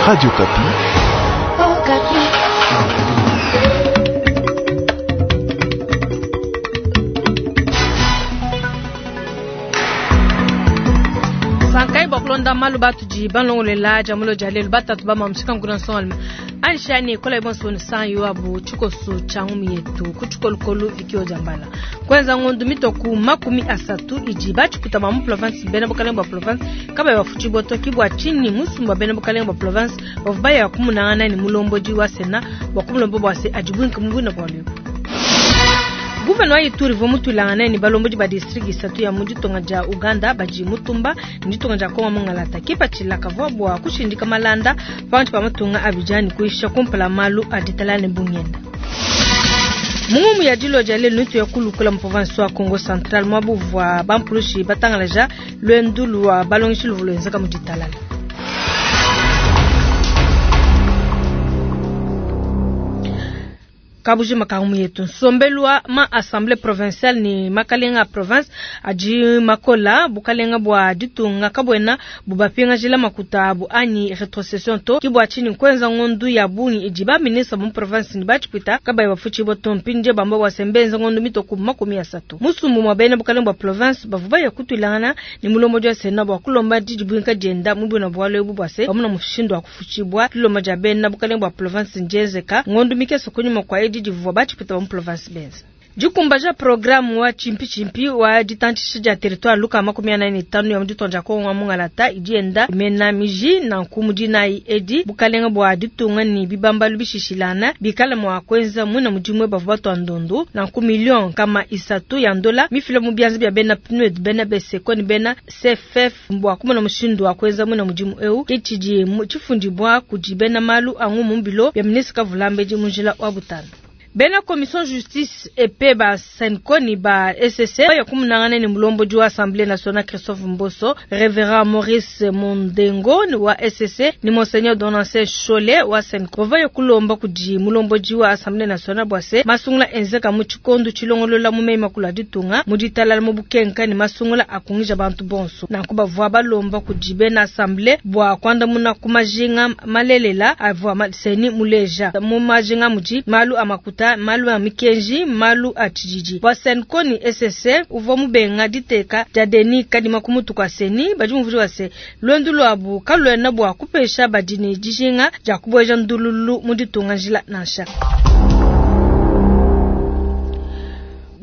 Radio Okapi. Oh, Okapi. Sankayi bua kulonda malu batudi balongolela dia mulo dia lelu batatu ba mamushika nkuna nsongalume anshani kola bonso nsanyo abu tshikoso tshia ngumi yetu ku tshikolokolo vikio dia mbala kwenza ngondu mitoku 30 idi batshiputa ba mu province bena bukalenge bua province kabayi bafutshibua to ki bua tshinyi musumba bena bukalenge bua province bavua baya kumunangana ne mulombodi wa sena bua kumulomba bua se adibuinke mu buina bua luebu. Guverneur wa Ituri uvua mutuilangane ne balombodi ba district isatu ya mu ditunga dia Uganda badi mutumba ne ditunga dia Kongo mungalata. Kipatshila kavua bua kushindika malanda pankatshi pa matunga abidi ne kuyisha kumpala malu a ditalala ne bungenda. Mu ngumu ya dilo dia lelu nutu ya kulukula mu province wa Kongo Central muaba uvua bampulushi batangalaja luendu lua balongeshi luvua luenzeka mu ditalala. Kabujima ka ngumu yetu nsombelu wa ma assemblée provinciale ne makalenga a province adi makola bukalenga bua ditunga kabuena bubapingajila makuta abu anyi retrocession to ki bua tshinyi nkuenza ngondu ya bungi idi ba ministre mu province ne batshipwita kabayi bafutshibua to mpindie bamba bua se mbenza ngondu mitoku 30 musumbu mua bena bukalenga bua province bavua baya kutuilangana ne mulombodi wa sena bua kulomba didibuinka dienda mu buina bualu ebu bua se bamuna mushindu wa kufutshibua dilomba dia bena bukalenga bua province ndienzeka ngondu mikese kunyima kua edi divua batshipwita ba mu province benza. Dikumbaja programme wa chimpi-chimpi wa ditantshisha dia territoire luka 45 ya mu ditunga dia Kongo wa mungalata idi yenda imena miji nanku mu dinayi edi bukalenga bua ditunga ne bibambalu bishishilana bikale mua kuenza muina mudimu bavua batua ndondu nanku million kama isatu ya ndola mifila mu bianza bia bena PNUD bena BSECO ne bena CFF bua kumona mushindu wa kuenza muina mudimu eu ke tshidi tshifundibua kudi bena malu a ngumu mu bilo bia ministre Kavulambedi mu njila wa butanda. Bena commission justice et paix ba CENCO ni ba SSC ya kumunangana ne mulombodi wa Assemblée nationale Christophe Mboso, Révérend Maurice Mondengo ni wa SSC ni Monseigneur Donatien Cholet wa CENCO bava ya kulomba kudi mulombodi wa Assemblée nationale bua se masungula enzeka mu tshikondo tshilongolola mu meyi makulu a ditunga mu ditalala mu bukenka ne masungula akungija bantu bonso nanku bavua balomba kudi bena Assemblée bua kuandamuna ku majinga malelela avua seni muleja mu majinga mudi malu a makuta malu a mikenji malu a tshididi bua CENCO ni SSC uvua mubenga diteka dia Denis Kadima ku mutu kua seni badi muvudi wa se luendu luabu kaluena bua kupesha badi ne dijinga dia kubueja ndululu mu ditunga njila nansha.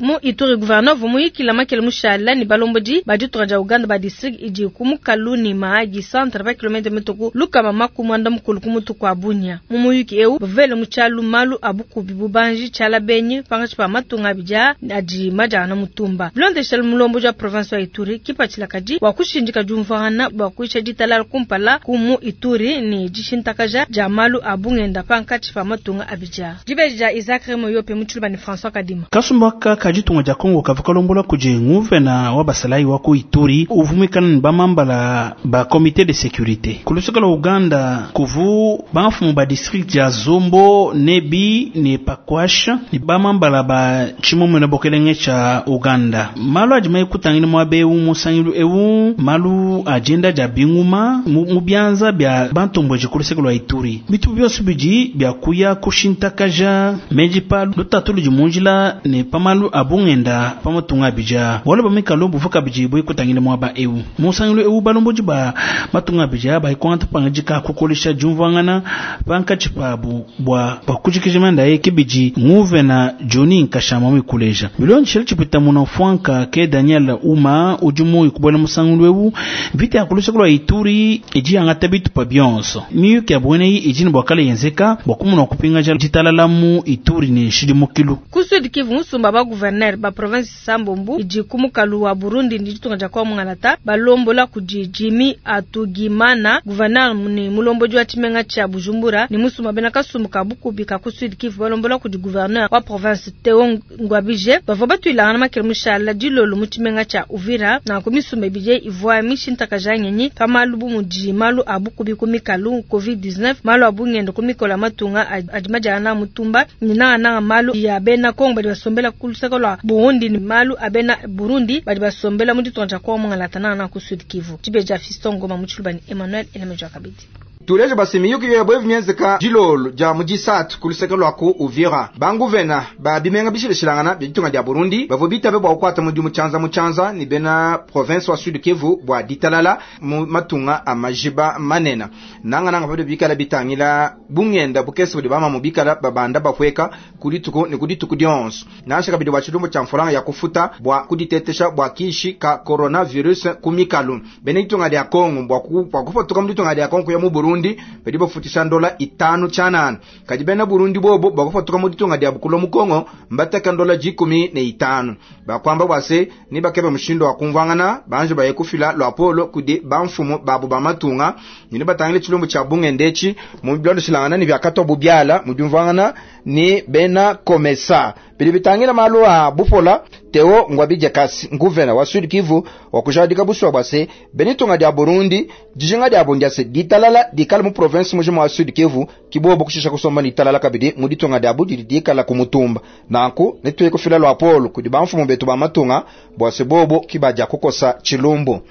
Mu Ituri gouverneur vumuyikila makele mushala ni balombodi ba ditunga dia Uganda ba district idi ku mukalu ni Mahagi centre ba kilomètre mituku lukama makumwanda mukulu ku mutu kwa Bunia. Mu muyuki eu bavele mu tshialu malu a bukubi bubanji tshiala benyi pangatshi pa matunga abidi adi majana mutumba. Bilondeshela mulombodi wa province wa Ituri kipatshila kadi bua kushindika diumvuangana bua kuisha ditalala kumpala ku mu Ituri ni dishintakaja dia malu a bungenda pankatshi pa matunga abidi. Dibeji dia Isaac Remoyope mu tshiluba ni François Kadima. Kasumbaka kajitunga dia Kongo kavukalombola kudi nguvena wa basalayi wa ku Ituri uvumikana ne bamambala ba comité de sécurité kuluseka lwa Uganda kuvu bamfumu ba district ya Zombo Nebi ne Pakwasha ne bamambala ba tshimomena bokelenge tsha Uganda malu adi maikutangile muaba eu musangilu eu malu agenda dia binguma mu bianza bia bantombweji kuluseka lwa Ituri bitu byonso bidi bia kuya kushintakaja meji pa lutatu ludi munjila ne pamalu abungenda pamatunga abija wala bamikalo buvuka biji buikutangile muaba eu musangilu eu balombodi ba matunga abija baikwanta pangajika kukolesha diumvuangana pankatshi pabu bua bakujikija manda ye kibidi nguvena Johnny Nkashama mikuleja bilondeshela tshipita muna fwanka ke Daniel Uma udi muyi kubuela musangilu eu vita ya kuluseka lwa Ituri idi yangata bitupa bionso miyuki ya bweneyi idi ne bua kala yenzeka bua kumuna kupingaja ditalala mu Ituri ne nshidimukilu. Ku Sud Kivu musumba ba gouverneur ba province Sambombu idi ku mukalu wa Burundi ndi ditunga dia kwa mungalata balombola kudi Jimmy Atugimana gouverneur ni mulombodi wa tshimenga tshia Bujumbura ni musumba bena kasumbu ka bukubi ka ku Sud Kivu balombola kudi gouverneur wa province Theo Ngwabije bavua batuilangana makele mushala dilolo mu tshimenga tshia Uvira na ku misumba ibidi ivua mishintakaja ngenyi pa malu bu mudi malu a bukubi ku mikalu COVID-19 malu a bungendo ku mikolo ya matunga adi majana mutumba ni nangananga malu ya bena Kongo badi basombela ku luseke lwa Burundi ni malu a bena Burundi badi basombela mu ditunga dia Kongo mungalata nangananga ku Sud Kivu. Tshibeja Fiston Ngoma mu tshiluba ni Emmanuel Elemeja Kabidi. Tuleje basi miyuki yebo mienzeka dilolo dia mu disatu ku luseke lwa ku Uvira. Banguvena ba bimenga bishileshilangana bia ditunga dia Burundi bavua bitabe bua kukwata mudimu tshianza mu tshianza ni bena province wa Sud Kivu bua ditalala mu matunga a majiba manene. Nanga nanga bado bikala bitangila bungenda bukese budi bama mu bikala babanda bapweka kudituku ni kudituku dionso. Nansha kabidi bua tshilumbu tshia mfulanga ya kufuta bua kuditetesha bua kishi ka coronavirus kumikalu. Bena ditunga dia Kongo bua kufutuka mu ditunga dia Kongo ya mu Burundi badi bafutisha ndola 5 chanana. Kadi bena Burundi bobo bua kufutuka mu ditunga dia Bukulo mu Kongo mbateka ndola 15. Bakwamba bwase ni bakebe mushindo wa kumvangana banje baye kufila lwa polo kudi bamfumu babu bamatunga ni batangile tshilumbu tshia bungendechi mu bilondo shilangana ni byakato bubyala mu byumvangana ni bena komesa bili bitangila malu a bufola Theo Ngwabidje Kasi nguvena wa Sud Kivu wa kujadika buswa bwase benitunga dia Burundi dijinga dia bundiase ditalala dikala mu province mujima wa Sud Kivu kibobo kushisha kusomba ditalala kabidi mu ditunga dia budi dikala kumutumba nanku nituye kufila lwa polo kudi bamfumu betu ba matunga bwase bobo kibaja kukosa chilumbu.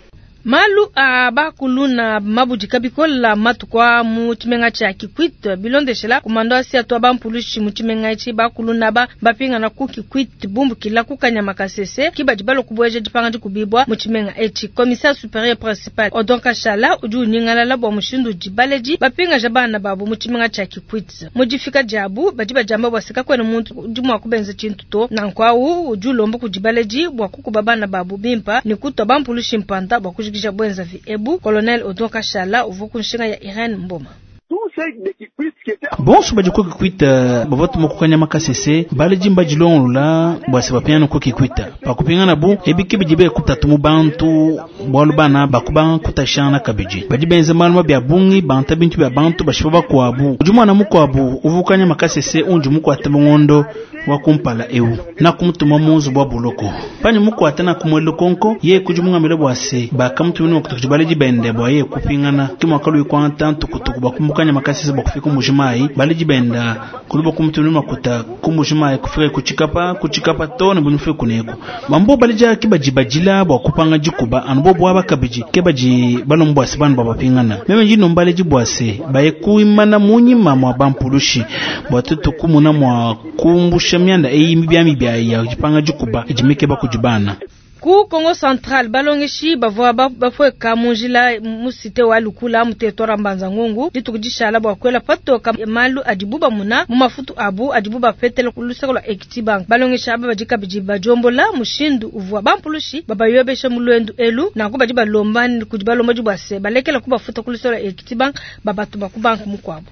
Malu a bakuluna mabudika bikola matukwa mu tshimenga tshia Kikwit bilondeshela kumando asia twa bampulushi mu tshimenga etshi bakuluna ba bapingana ku Kikwit bumbukila ku Kanyama Kasese kibadi balo kubweja dipanga dikubibwa mu tshimenga etshi. Commissaire supérieur principal Odon Kashala udi unyingalala bua mushindu udi baledi bapingaja bana babu mu tshimenga tshia Kikwit. Mu difika diabu badi badiamba bua seka kwena muntu udi mua kubenza tshintu to nanku awu udi ulomba kudi baledi bua kukuba bana babu bimpa ne kutwa bampulushi mpanda bua kujikija bwenzavi ebu. Colonel Odon Kashala uvu kunshinga ya Irene Mboma. Bonso badi ku Kikwita bavua tuma ku Kanyama Kasese baledi mbadilongolola bua se bapingana ku Kikwita pakupingana bu ebiki bidi bekutatu mu bantu bualu bana bakubanga kutashana kabidi badi benza malu bya bungi banta bintu bya bantu bashipa bakuabu udi mwana mukuabu uvu Kanyama Kasese undi mukuata mungondo wa kumpala eu na kumutuma munzu bwa buloko pani mukuata na kumwelo konko ye kudi mungamile bua se bakamutumina kutukuti baledi bende bua ye kupingana kimwakalu ikwanta ntukutuku bakumukanya makasisi bakufika mujimai baledi benda kuluba kumutumina makuta kumujimai kufika kuchikapa kuchikapa tone bunyife kuneko mambo balija kibajibajila bua kupanga jikuba anubo bwa bakabiji kebaji balombwa se banu babapingana meme jino mbaleji bua se baye kuimana munyima mwa bampulushi bua tutu kumuna mwa kumbusha myanda eyi mibyami bya ya jipanga jikuba ijimike bakujibana. Ku Kongo Central balongeshi bavua bapweka munjila musite wa Lukula mu territoire Mbanza Ngungu ditukudishala bua kwela patoka malu adibu bamuna mu mafutu abu adibu bapetela ku luseke lwa Equity Bank. Balongeshi aba badi kabidi bajombola mushindu uvua bampulushi babayobesha mu lwendu elu nanku badi balomba kudi balomba dibwase balekela kubafuta ku luseke lwa Equity Bank babatu ba ku bank mukuabu.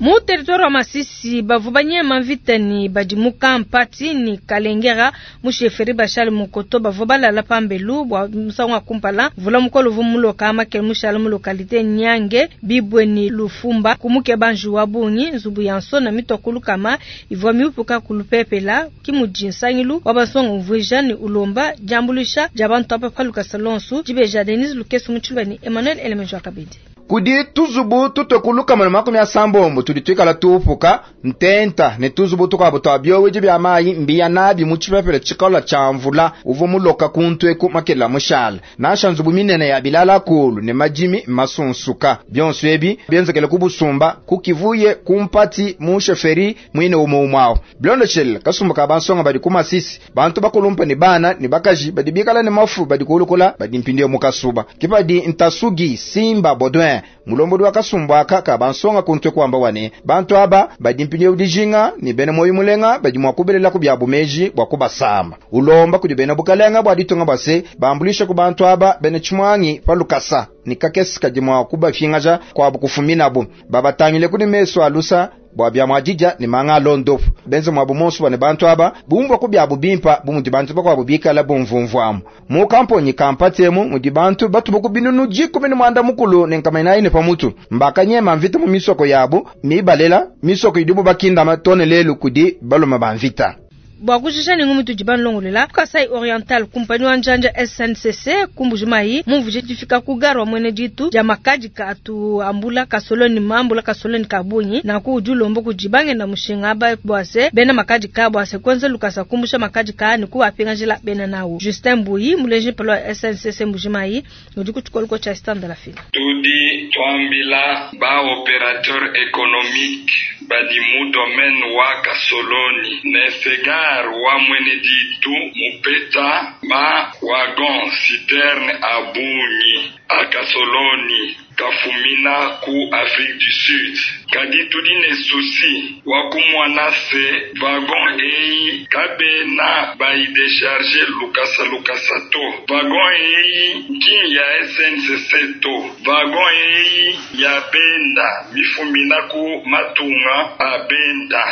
Mu territoire wa Masisi bavua banyema mvita ni badi mu Kampati ni Kalengera mu sheferi Bashali Mukoto bavua balala pambelu bua musangu wa kumpala mvula mukolo uvu muloka makele mushala mu localité Nyange Bibwe ni Lufumba kumuke banju wa bungi nzubu ya nsona mitokulu kama ivua miupuka kulupepela kimudi nsangilu wa basonga mvuija ni ulomba jambulisha jabantu apa paluka salonsu jibeja Denise Lukesu muchilwa ni Emmanuel Elemenjo akabidi. Kudi tuzubu tutokuluka mana 80 tulitwikala tupuka ntenta ne tuzubu tukabo twabyoweje bya mayi mbiya nabi mu chipepele chikola cha mvula uvu muloka kuntweku makela mushala nasha nzubu minene ya bilala kulu ne majimi masunsuka byonso ebi byenzekele kubusumba kukivuye kumpati mu sheferi mwine umumwawo blondochel kasumba ka bansonga badi kumasisi bantu bakulumpa ne bana ne bakaji badi bikala ne mafu badi kulukula badi mpindiye mukasuba kipadi ntasugi simba bodwin mulombodi wa kasumbu aka ka bansonga kuntwe kwamba wane bantu aba badi mpindiye udijinga ni bene moyo mulenga badi mwakubelela ku bya bumeji bwa kubasamba ulomba kudi bene bukalenga bwa ditunga base bambulisha ku bantu aba bene chimwangi palukasa ni kakesi kadi mwa kubafingaja kwa bukufuminabo babatangile kudi meso alusa bwa bya mwajija ni manga londofu benze mwa bumonso bane bantu aba bumva ku bya bubimpa bumudi bantu bakwa bubikala bumvumvwamu mu kamponyi kampatemu mudi bantu batubuku binunu jikumi ni mwanda mukulu ne nkamaina ine pamutu mbakanyema mvita mu misoko yabo mibalela misoko idibu bakinda matone lelu kudi baloma bamvita. Bua kujisha ne ngumu tudi banulongoluela ku Kasai Oriental, kumpanyi wa njanja SNCC ku Mbuji-Mayi mumvuije difika ku gare wa muena ditu dia makadika atu ambula kasoloni mambula kasoloni ka bungi. Nanku udi ulomba kudi bangenda mushinga aba bua se bena makadika bua se kuenza lukasa kumbusha makadika ne kuapingajila bena nawu. Justin Mbuyi muleji mpala wa SNCC Mbuji-Mayi udi ku tshikoloko tshia Stand la Fila. Tudi tuambila ba operateur économique badi mu domaine wa Kasoloni ne Segar wa mwene ditu mupeta ma wagon citerne a bungi a Kasoloni kafumina ku Afrique du Sud. Kadi tudi ne souci wa kumona se wagon eyi kabena bayidecharge lukasa lukasa to. Wagon eyi nki ya SNCC to. Wagon eyi ya benda mifumina ku matunga a benda.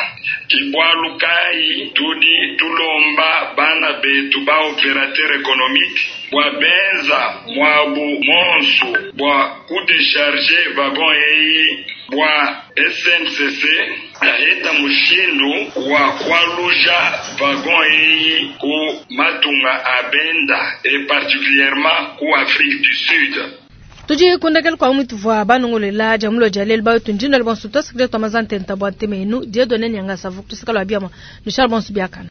Ke bualu kayi tudi tulomba bana betu ba opérateur économique bua benza mwabu monsu bua kudecharge wagon eyi bua SNCC aheta mushindu wa kualuja wagon eyi ku matunga a benda et particulièrement ku Afrique du Sud. Tudi kundekela kwa mwitu vwa banongolela dia mulo dia lelu bayo tundinda le bonso tosikile twamazantenta bwa ntemenu Dieudonné Nyanga savu tusikala biama nushal bonso biakana.